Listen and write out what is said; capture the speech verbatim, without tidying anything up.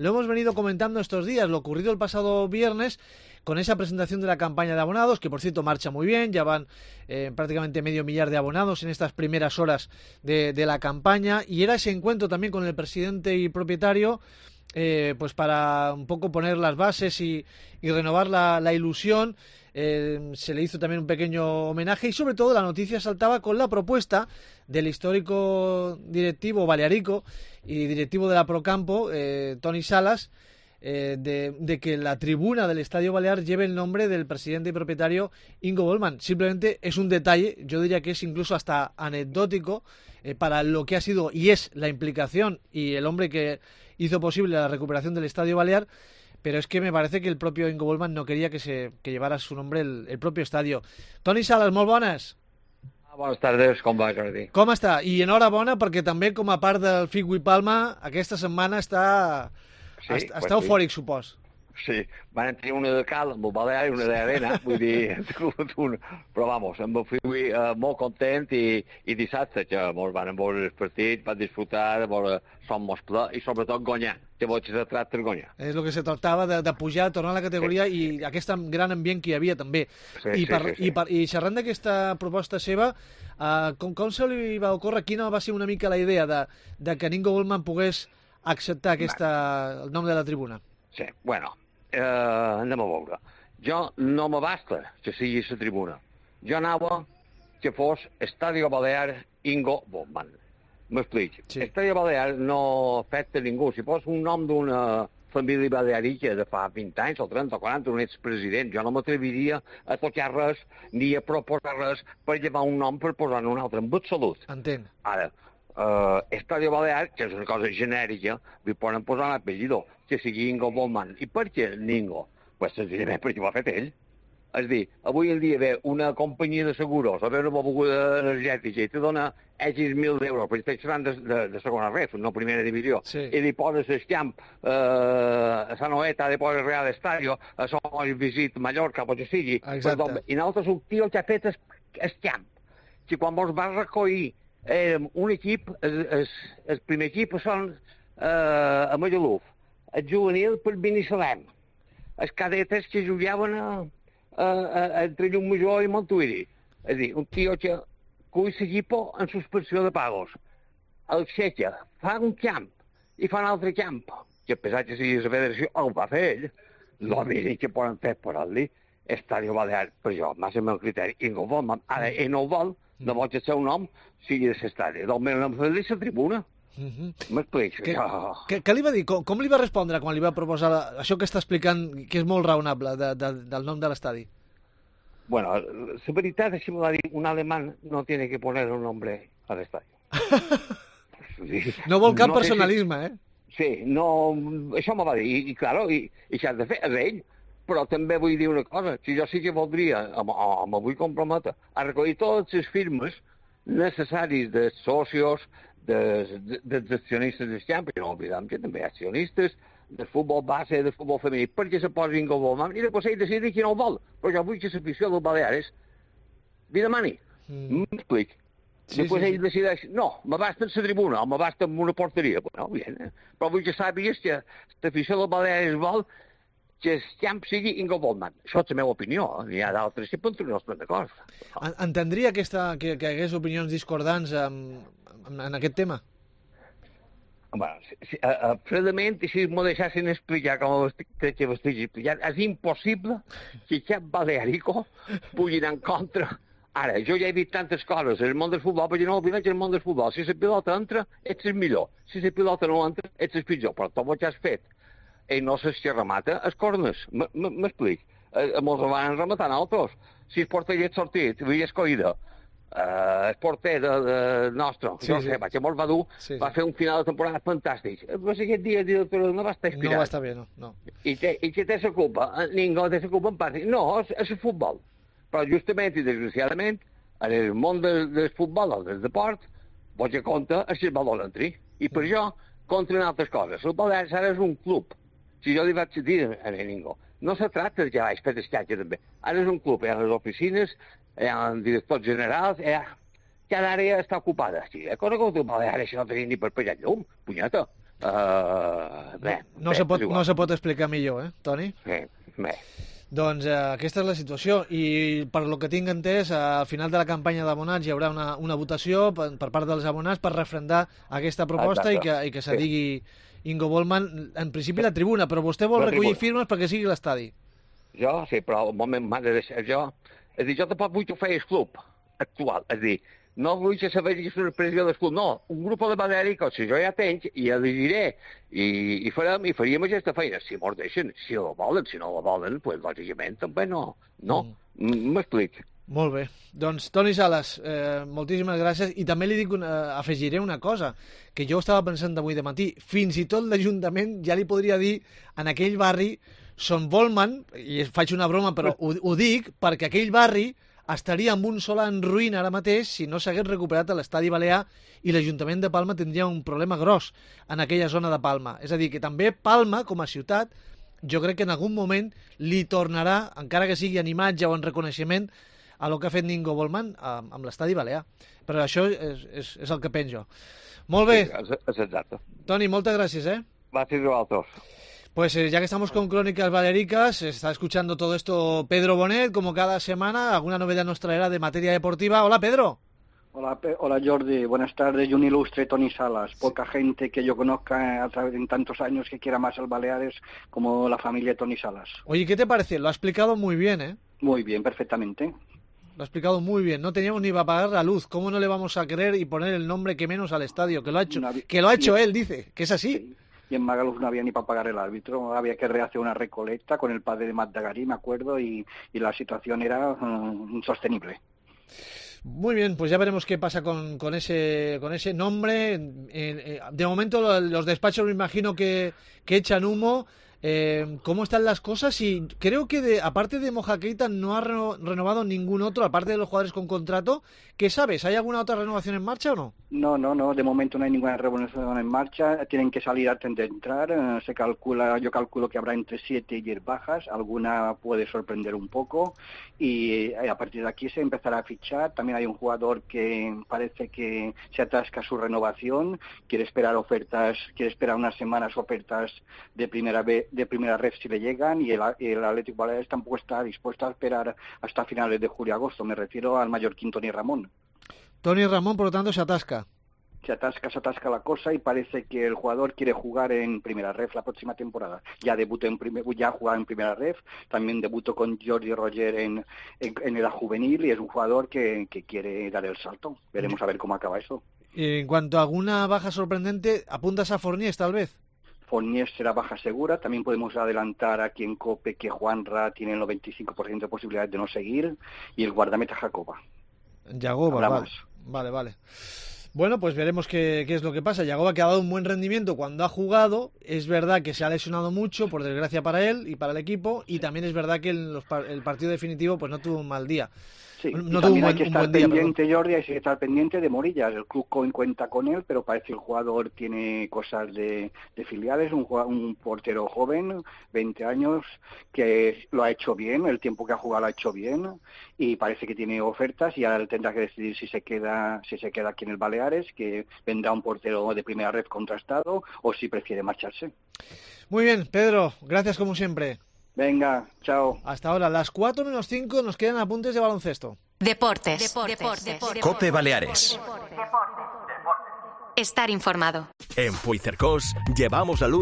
Lo hemos venido comentando estos días, lo ocurrido el pasado viernes con esa presentación de la campaña de abonados, que por cierto marcha muy bien, ya van eh, prácticamente medio millar de abonados en estas primeras horas de, de la campaña, y era ese encuentro también con el presidente y propietario, eh, pues para un poco poner las bases y, y renovar la, la ilusión. Eh, se le hizo también un pequeño homenaje y sobre todo la noticia saltaba con la propuesta del histórico directivo balearico y directivo de la Procampo, eh, Toni Salas, eh, de, de que la tribuna del Estadio Balear lleve el nombre del presidente y propietario Ingo Bollmann. Simplemente es un detalle, yo diría que es incluso hasta anecdótico eh, para lo que ha sido y es la implicación y el hombre que hizo posible la recuperación del Estadio Balear. Pero es que me parece que el propio Ingo Bollmann no quería que se que llevara su nombre el, el propio estadio. Toni Salas, molt bones. Ah, bones tardes, com va, Jordi? Com està? I enhorabona perquè també, com a part del Figui Palma, aquesta setmana està, sí, està, pues està sí. eufòric, supos. Sí, van tenir una de cal amb el Balear i una d'arena, vull dir, un... però vamos, em fui uh, molt content i, i dissabte que ens van veure el partit, van disfrutar, veure som mos ple i sobretot guanyar, que vols se tracta de guanyar. És el que se tractava, de, de pujar, tornar a la categoria sí. I aquest gran ambient que hi havia també. Sí, I, per, sí, sí, sí. I, per, i xerrant d'aquesta proposta seva, uh, com, com se li va ocórrer, quina va ser una mica la idea de, de que Ingo Bollmann pogués acceptar aquesta, el nom de la tribuna? Sí, bueno, eh, anem a veure. Jo no me basta que sigui la tribuna. Jo anava que fos Estadio Balear Ingo Bollmann. M'explico. Sí. Estadio Balear no afecta a ningú. Si pos un nom d'una família balearica de fa vint anys o trenta o quaranta, un expresident, jo no m'atreviria a tocar res ni a proposar res per llevar un nom per posar un altre, en absolut. Entenc. Ara, Uh, Estadio Balear, que és una cosa genèrica, li poden posar un apellido, que sigui Ingo Bollmann. I per què Ingo? Pues senzillament perquè ho ha fet ell. És dir, avui en dia ve una companyia de seguros a veure una beguda energètica i te dona X mil d'euros, perquè estic xerrant de, de, de segona ref, no primera divisió, sí. I li poses el camp uh, a San Noeta, li poses Real Estadio, a Som Visit Mallorca, pot que sigui. Perdó, i nosaltres un tio que ha fet el, el camp, que quan vos vas recollir érem un equip, el, el, el primer equip són eh, a Magaluf, el juvenil per Binissalem, els cadetes que jugaven a, a, a, entre Llumajor i Montuïri. És a dir, un tio que cull l'equip en suspensió de pagos, el xeca, fa un camp i fa un altre camp, que a pesar que sigui la federació, el va fer ell, el mínim que poden fer per al·li, Estadio Balear, per jo, més el meu criteri, Ingo Bollmann, ara ell no ho vol, no vol que el seu nom sigui de l'estadi. Del meu nom és la tribuna. M'explico. Què, què, què li va dir? Com, com li va respondre quan li va proposar això que està explicant, que és molt raonable, de, de, del nom de l'estadi? Bueno, la veritat és que me va dir un alemán no tiene que poner un nombre al estadio. No vol cap no personalisme, si... eh? Sí, no... Això me va dir. I, i claro, i, i s'ha de fer, és ell. Però també vull dir una cosa, si jo sí que voldria, me vull comprometre, a recollir totes les firmes necessaris de socios, dels de, de, de accionistes del camp, i no oblidem que també hi ha accionistes del futbol base, del futbol femení, perquè se posi Ingo Bollmann, i després ell decidi qui no ho vol. Però jo vull que l'afició dels Baleares li demani. Mm. M'explic. Sí, després sí, ell sí. Decideix, no, me basta en la tribuna, o me basta en una porteria. Bueno, bien, eh? Però vull que sàpigues que l'afició dels Baleares vol que el camp sigui Ingo Bollmann. Això és la meva opinió. N'hi ha d'altres que poden tenir els d'acord. Entendria aquesta, que, que hi hagués opinions discordants en, en, en aquest tema? Bueno, si, si, a, a, fredament, si m'ho deixessin explicar com crec que ho estic explicant, és impossible que cap balearico pugui anar en contra. Ara, jo ja he dit tantes coses en el món del futbol, perquè no oblidem que en el món del futbol, si la pilota entra, ets el millor. Si la pilota no entra, ets el pitjor. Però tot el que has fet ell no saps que remata, els cornes. M'explic. Molts van rematar altres. Si el porter hi ha sortit, havia escollida, uh, el porter de, de nostre, sí, no sé, sí. Que molt va dur, sí, va sí. Fer un final de temporada fantàstic. Però si aquest dia el director no va estar inspirat. No va estar bé, no. no. I, te, i que té la culpa? Ningú té la culpa en part. No, és, és el futbol. Però justament i desgraciadament, en el món del, del futbol o del deport, vols que compta és que el valor entri. I per això, contra altres coses. El Balears ara és un club. Si jo li vaig dir a ningú, no se tracta de que vaig fer descatge també. Ara és un club, hi ha les oficines, hi ha directors generals, ha... cada àrea està ocupada. Si he conegut un Balear, això no tenia ni per pegar llum, punyeta. Uh, bé, no, bé, se pot, no se pot explicar millor, eh, Toni? Bé, bé. Doncs eh, aquesta és la situació i per lo que tinc entès, eh, al final de la campanya d'abonats hi haurà una, una votació per, per part dels abonats per refrendar aquesta proposta. Exacte. i que, i que se sí. digui Ingo Bollmann, en principi la tribuna, però vostè vol la recollir tribuna. Firmes perquè sigui l'estadi. Jo, sí, però un moment m'ha de deixar jo. És a dir, jo tampoc vull que ho feia el club actual, és a dir, no vull que se vegi una expressió del club, no, un grup de Baleàrica, si jo ja tenc, i ja li diré, i, i, farem, i faríem aquesta feina, si mos deixen, si la volen, si no la volen, doncs, pues, lògicament, també no, no, m'explic. Mm. Molt bé, doncs Toni Sales, eh, moltíssimes gràcies, i també li dic una, afegiré una cosa, que jo estava pensant avui de matí, fins i tot l'Ajuntament ja li podria dir en aquell barri Son Bollmann, i faig una broma, però ho, ho dic perquè aquell barri estaria amb un sol en ruïna ara mateix si no s'hagués recuperat l'estadi balear i l'Ajuntament de Palma tindria un problema gros en aquella zona de Palma. És a dir, que també Palma, com a ciutat, jo crec que en algun moment li tornarà, encara que sigui en imatge o en reconeixement, a lo que ha fet Ingo Bollmann amb, amb l'estadi balear. Però això és, és, és el que penso. Molt bé. Sí, és exacte. Toni, moltes gràcies, eh? Gràcies a vosaltres. Pues eh, ya que estamos con Crónicas Baleáricas, está escuchando todo esto Pedro Bonet, como cada semana, alguna novedad nos traerá de materia deportiva. Hola, Pedro. Hola, Hola Jordi, buenas tardes y un ilustre Toni Sales. Poca gente que yo conozca a través de tantos años que quiera más al Baleares como la familia Toni Sales. Oye, ¿qué te parece? Lo ha explicado muy bien, ¿eh? Muy bien, perfectamente. Lo ha explicado muy bien. No teníamos ni para pagar la luz. ¿Cómo no le vamos a querer y poner el nombre que menos al estadio? Que lo ha hecho, no, que lo ha hecho él, dice, que es así. Sí. Y en Magaluf no había ni para pagar el árbitro, había que rehacer una recolecta con el padre de Madagarí, me acuerdo, y, y la situación era uh, insostenible. Muy bien, pues ya veremos qué pasa con, con ese con ese nombre. Eh, eh, de momento los despachos me imagino que, que echan humo. Eh, ¿Cómo están las cosas? Y creo que de, aparte de Moja Keita no ha reno, renovado ningún otro, aparte de los jugadores con contrato. ¿Qué sabes? ¿Hay alguna otra renovación en marcha o no? No, no, no. De momento no hay ninguna renovación en marcha. Tienen que salir antes de entrar. Eh, se calcula, yo calculo que habrá entre siete y diez bajas. Alguna puede sorprender un poco. Y eh, a partir de aquí se empezará a fichar. También hay un jugador que parece que se atasca su renovación. Quiere esperar ofertas, quiere esperar unas semanas ofertas de primera vez. de primera red si le llegan, y el, el Atlético Baleares tampoco está dispuesto a esperar hasta finales de julio-agosto. Me refiero al mallorquín Toni Ramón. Toni Ramón, por lo tanto, se atasca. Se atasca, se atasca la cosa, y parece que el jugador quiere jugar en primera ref la próxima temporada. Ya debutó en primer, ya ha jugado en primera ref, también debutó con Jordi Roger en, en, en edad juvenil, y es un jugador que, que quiere dar el salto. Veremos a ver cómo acaba eso. En cuanto a alguna baja sorprendente, ¿apuntas a Forniés tal vez? Forniés será baja segura. También podemos adelantar aquí en COPE que Juanra tiene el noventa y cinco por ciento de posibilidades de no seguir, y el guardameta Jacoba. Jagoba, vale. vale, vale. Bueno, pues veremos qué, qué es lo que pasa. Jagoba, que ha dado un buen rendimiento cuando ha jugado. Es verdad que se ha lesionado mucho, por desgracia para él y para el equipo, y también es verdad que en los, el partido definitivo pues no tuvo un mal día. Sí, no y también hay que estar pendiente, día, Jordi, hay que estar pendiente de Morillas. El club cuenta con él, pero parece que el jugador tiene cosas de, de filiales, un, un portero joven, veinte años, que lo ha hecho bien, el tiempo que ha jugado lo ha hecho bien, y parece que tiene ofertas, y ahora tendrá que decidir si se queda si se queda aquí en el Baleares, que vendrá un portero de primera red contrastado, o si prefiere marcharse. Muy bien, Pedro, gracias como siempre. Venga, chao. Hasta ahora, las cuatro menos cinco, nos quedan apuntes de baloncesto. Deportes. Deportes. Deportes. Deportes. COPE Baleares. Estar informado. En Puigcercós llevamos la luz